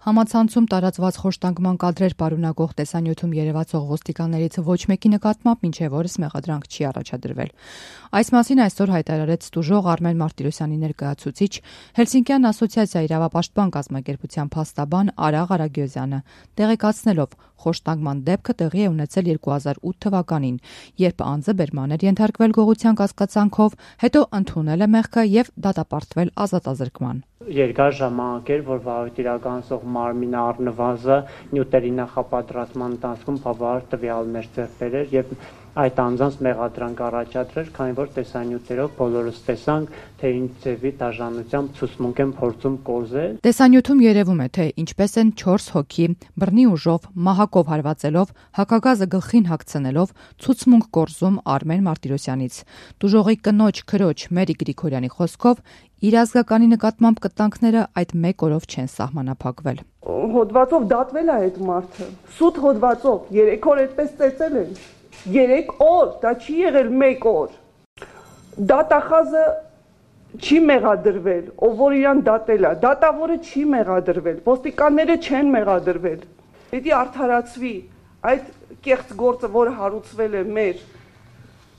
Համացանցում տարածված խոշտանգման կադրեր պարունակող տեսանյութում երևացող ոստիկաններից ոչ մեկի նկատմամբ մինչև օրս մեղադրանք չի առաջադրվել։ Այս մասին այսօր հայտարարեց տուժող Արմեն Մարտիրոսյանի ներկայացուցիչ Հելսինկյան ասոցիացիա իրավապաշտպան կազմակերպության փաստաբան Արա Ղարագյոզյանը, տեղեկացնելով խոշտանգման դեպքը տեղի է ունեցել 2008 թվականին, երբ անձը բերման էր ենթարկվել գողության կասկածանքով, հետո ընդունել է մեղքը եւ դատապարտվել ազատազրկման։ Երկար ժամանակ էր, որ վարույթ իրականացող մարմինը առնվազն նյութերի նախապատրաստման ընթացքում բավարար տվյալներ ձեռք բերեր եւ այդ անձանց մեղադրանք առաջադրեր, քանի որ տեսանյութերով բոլորս տեսանք, թե ինչ ձևի դաժանությամբ ցուցմունք են փորձում կոզել։ Տեսանյութում երևում է, թե ինչպես են 4 հոգի բռնի ուժով, մահակով հարվածելով, հակագազը գլխին հագցնելով ցուցմունք կորզում Արմեն Մարտիրոսյանից։ Տուժողի կնոջ քրոջ Մերի Գրիգորյանի խոսքով իր ազգականի նկատմամբ կտանքները այդ մեկ օրով չեն սահմանափակվել։ Հոդվածով դատվել է այդ մարդը, սուտ հոդվածով 3 օր այդպես ծեծել են։ 3 օր, դա չի եղել 1 օր։ Դատախազը չի մեղադրվել, ով որ իրան դատել է, դատավորը չի մեղադրվել, ոստիկանները չեն մեղադրվել։ Պետք է արդարացվի այդ կեղծ գործը, որը հարուցվել է մեր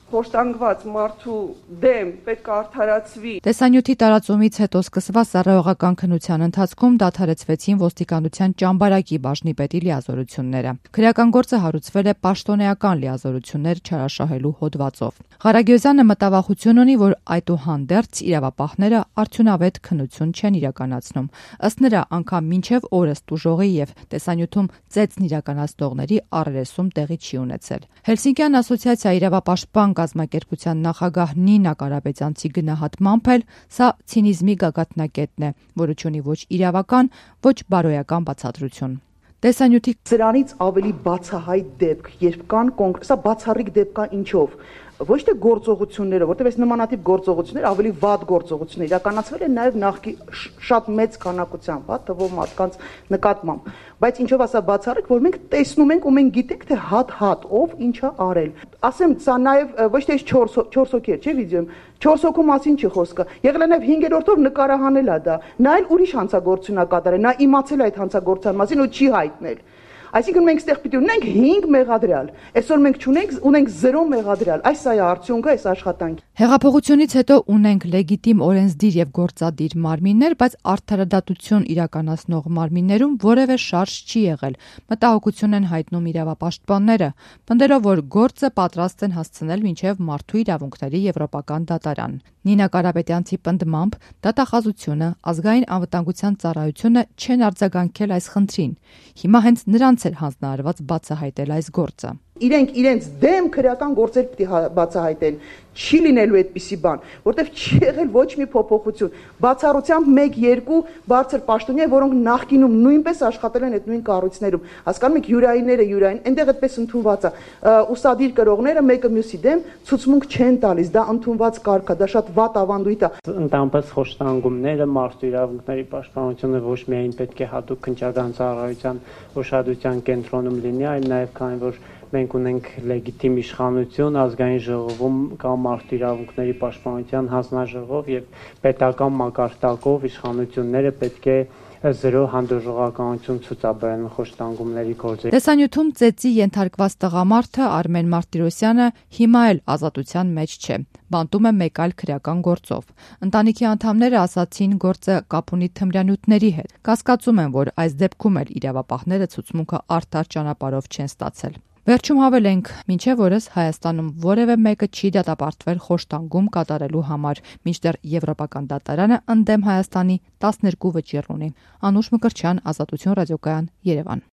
խոշտանգված մարդու դեմ, պետք է արդարացվի։ Տեսանյութի տարածումից հետո սկսված ծառայողական քննության ընթացքում դադարեցվեցին ոստիկանության ճամբարակի բաժնի պետի լիազորությունները։ Քրեական գործը հարուցվել է պաշտոնեական լիազորություններ չարաշահելու հոդվածով։ Ղարագյոզյանը մտավախություն ունի, որ այդուհանդերձ իրավապահները արդյունավետ քննություն չեն իրականացնում։ Ըստ նրա, անգամ մինչև օրս տուժողի եւ տեսանյութում ծեծն իրականացնողների առերեսում տեղի չի ունեցել։ Հելսինկյան ասոցիացիա իրավապաշտպան կազմակերպության նախագահ Նինա Կարապետյանցի գնահատմամբ էլ սա ցինիզմի գագաթնակետն է, որը չունի ոչ իրավական, ոչ բարոյական բացատրություն։ Տեսանյութի սրանից ավելի բացահայտ դեպք, երբ կան սա բացառիկ դեպք է ինչով։ Ոչ թե գործողությունները, որտեղ այս նմանատիպ գործողություններ ավելի վատ գործողություններ իրականացվել են նաև նախքի շատ մեծ քանակությամբ, թվով մարդկանց նկատմամբ, բայց ինչով ասա բացառիկ, որ մենք տեսնում ենք ու մենք գիտենք, թե հատ ով ինչա արել։ Ասեմ, սա նաև ոչ թե 4 հոգի է, չէ՞ վիդեոյում, 4 հոգու մասին չի խոսքը։ Եղել է նաև 5-րդով նկարահանել է դա։ Նա էլ ուրիշ հանցագործություն է կատարել, նա իմացել է այդ հանցագործության մասին ու չի հայտնել։ Այսինքն մենք ստեղ պիտի ունենք 5 մեղադրյալ, այսօր մենք ունենք 0 մեղադրյալ, այս սա է արդյունքը այս աշխատանքի։ Հեղափոխությունից հետո ունենք լեգիտիմ օրենսդիր եւ գործադիր մարմիններ, բայց արդարադատություն իրականացնող մարմիններում որևէ շարժ չի եղել։ Մտահոգություն են հայտնում իրավապաշտպանները, պնդելով, որ գործը պատրաստ են հասցնել մինչև մարդու իրավունքների եվրոպական դատարան։ Նինա Կարապետյանցի պնդմամբ դատախազությունը, ազգային անվտանգության ծառայությունը չեն արձագանքել այս խնդրին։ Հիմա հենց նրանց էր հանձնարարված բացահայտել այս գործը։ Իրենք իրենց դեմ քրեական գործեր պիտի բացահայտեն, չի լինելու այդպիսի բան, որտեվ չի եղել ոչ մի փոփոխություն։ Բացառությամբ 1-2 բարձր պաշտոնյա, որոնք նախկինում նույնպես աշխատել են այդ նույն կառույցներում։ Հասկանում եք, յուրայինները, այնտեղ այդպես ընդունված է։ Ուսադիր կրողները մեկը մյուսի դեմ ցուցմունք չեն տալիս, դա ընդունված կարգ է, դա շատ վատ ավանդույթ է։ Ընդամենը խոշտանգումները, մարդու իրավունքների պաշտպանությունը ոչ միայն պետք է հատուկ քննչական ծառայության ուշադրության կենտրոնում լինի, այլ նաև քանի որ մենք ունենք լեգիտիմ իշխանություն, ազգային ժողովում կամ մարդու իրավունքների պաշտպանության հանձնաժողով եւ պետական մակարդակով իշխանությունները պետք է 0 հանդուրժողականություն ցուցաբերեն խոշտանգումների գործերի։ Տեսանյութում ծեծի ենթարկված տղամարդը Արմեն Մարտիրոսյանը հիմա էլ ազատության մեջ չէ։ Բանտում է մեկ այլ քրեական գործով։ Ընտանիքի անդամները ասացին գործը կապ ունի թմրանյութերի հետ։ Կասկածում են, որ այս դեպքում էլ իրավապահները ցուցմունքը արդար ճանապարհով չեն ստացել։ Վերջում հավելենք, մինչև օրս Հայաստանում որևէ մեկը չի դատապարտվել խոշտանգում կատարելու համար, մինչդեռ Եվրոպական դատարանը ընդդեմ Հայաստանի 12 վճիռ ունի։ Անուշ Մկրտչյան, Ազատություն ռադիոկայան, Երևան։